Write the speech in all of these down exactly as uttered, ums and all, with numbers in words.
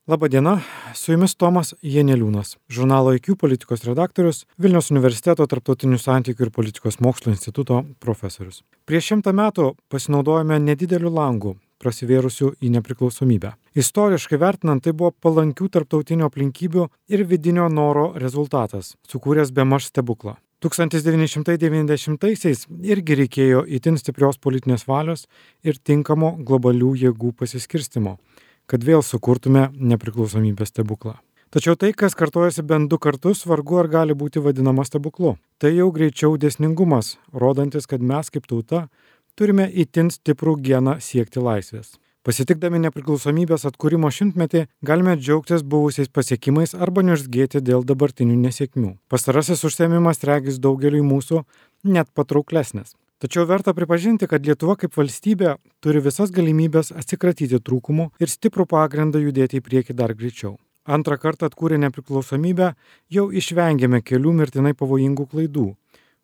Labadiena, su jumis Tomas Janeliūnas, žurnalo I Q politikos redaktorius, Vilniaus universiteto tarptautinių santykių ir politikos mokslo instituto profesorius. Prieš šimtą metų pasinaudojome nedideliu langu, prasivėrusiu į nepriklausomybę. Istoriškai vertinant, tai buvo palankių tarptautinių aplinkybių ir vidinio noro rezultatas, sukūręs bemaž stebuklą. tūkstantis devyni šimtai devyniasdešimtaisiais irgi reikėjo itin stiprios politinės valios ir tinkamo globalių jėgų pasiskirstimo, kad vėl sukurtume nepriklausomybės stebuklą. Tačiau tai, kas kartojasi bent du kartus, vargu ar gali būti vadinama stebuklu. Tai jau greičiau dėsningumas, rodantis, kad mes kaip tauta turime itin stiprų geną siekti laisvės. Pasitikdami nepriklausomybės atkūrimo šimtmetį, galime džiaugtis buvusiais pasiekimais arba niurzgėti dėl dabartinių nesėkmių. Pastarasis užsiėmimas regis daugeliui mūsų net patrauklesnis. Tačiau verta pripažinti, kad Lietuva kaip valstybė turi visas galimybės atsikratyti trūkumų ir stiprų pagrindą judėti į priekį dar greičiau. Antrą kartą atkūrę nepriklausomybę jau išvengėme kelių mirtinai pavojingų klaidų,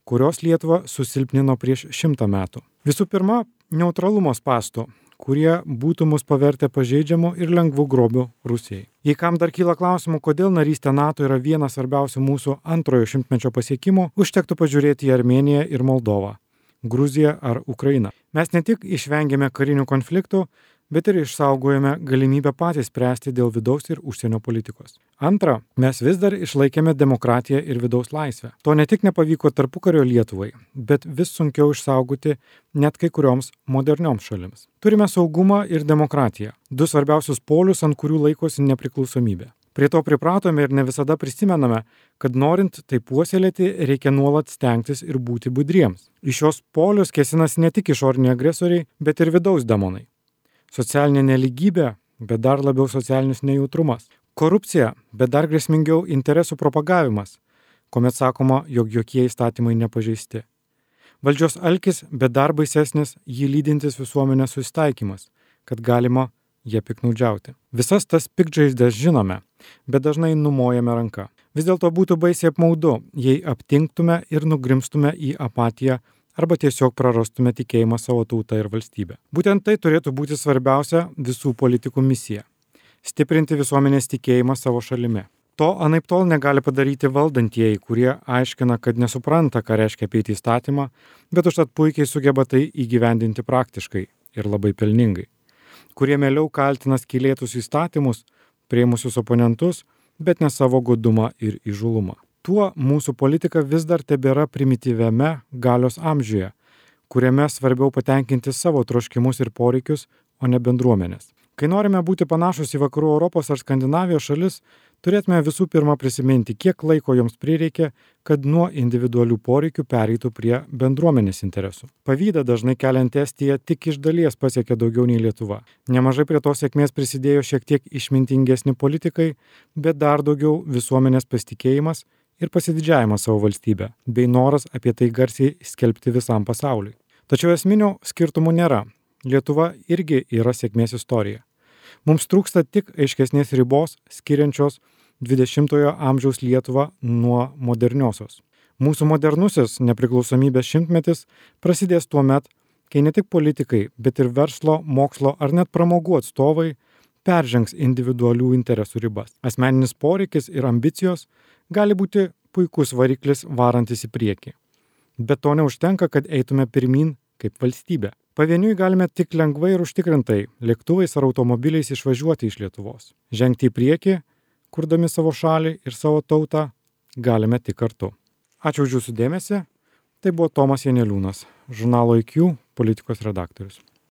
kurios Lietuvą susilpnino prieš šimtą metų. Visų pirma, neutralumo spąstų, kurie būtų mus pavertę pažeidžiamų ir lengvų grobių Rusijai. Jei kam dar kyla klausimų, kodėl narystė NATO yra vienas svarbiausių mūsų antrojo šimtmečio pasiekimų, užtektų pažiūrėti į Armėniją ir Moldovą, Gruziją ar Ukrainą. Mes ne tik išvengėme karinių konfliktų, bet ir išsaugojame galimybę patys spręsti dėl vidaus ir užsienio politikos. Antra, mes vis dar išlaikėme demokratiją ir vidaus laisvę. To ne tik nepavyko tarpukario Lietuvai, bet vis sunkiau išsaugoti net kai kurioms modernioms šalims. Turime saugumą ir demokratiją, du svarbiausius polius, ant kurių laikosi nepriklausomybė. Prie to pripratome ir ne visada prisimename, kad norint tai puoselėti, reikia nuolat stengtis ir būti budriems. Į šios polius kėsinasi ne tik išoriniai agresoriai, bet ir vidaus demonai. Socialinė neligybė, bet dar labiau socialinis nejautrumas. Korupcija, bet dar grėsmingiau interesų propagavimas, kuomet sakoma, jog jokie įstatymai nepažeisti. Valdžios alkis, bet dar baisesnis jį lydintis visuomenės susitaikymas, kad galima jie piknaudžiauti. Visas tas piktžaizdes žinome, bet dažnai numojame ranką. Vis dėlto būtų baisiai apmaudu, jei aptinktume ir nugrimstume į apatiją arba tiesiog prarastume tikėjimą savo tautą ir valstybę. Būtent tai turėtų būti svarbiausia visų politikų misija – stiprinti visuomenės tikėjimą savo šalimi. To anaiptol negali padaryti valdantieji, kurie aiškina, kad nesupranta, ką reiškia apeiti įstatymą, bet užtat puikiai sugeba tai įgyvendinti praktiškai ir labai pelningai. Kurie mieliau kaltina skylėtus įstatymus, priėmusius oponentus, bet ne savo godumą ir įžūlumą. Tuo mūsų politika vis dar tebėra primityviame galios amžiuje, kuriame svarbiau patenkinti savo troškimus ir poreikius, o ne bendruomenės. Kai norime būti panašus į vakarų Europos ar Skandinavijos šalis, turėtume visų pirma prisiminti, kiek laiko joms prireikė, kad nuo individualių poreikių pereitų prie bendruomenės interesų. Pavydą dažnai keliant Estiją tik iš dalies pasiekė daugiau nei Lietuva. Nemažai prie tos sėkmės prisidėjo šiek tiek išmintingesni politikai, bet dar daugiau visuomenės pasitikėjimas ir pasididžiavimas savo valstybę, bei noras apie tai garsiai skelbti visam pasauliui. Tačiau esminių skirtumų nėra. Lietuva irgi yra sėkmės istorija. Mums trūksta tik aiškesnės ribos, skiriančios dvidešimtojo amžiaus Lietuvą nuo moderniosios. Mūsų modernusis nepriklausomybės šimtmetis prasidės tuo met, kai ne tik politikai, bet ir verslo, mokslo ar net pramogų atstovai peržengs individualių interesų ribas. Asmeninis poreikis ir ambicijos gali būti puikus variklis varantis į priekį. Bet to neužtenka, kad eitume pirmyn kaip valstybė. Pavieniui galime tik lengvai ir užtikrintai lėktuvais ar automobiliais išvažiuoti iš Lietuvos. Žengti į priekį, kurdami savo šalį ir savo tautą, galime tik kartu. Ačiū už jūsų dėmesį. Tai buvo Tomas Janeliūnas, žurnalo I Q politikos redaktorius.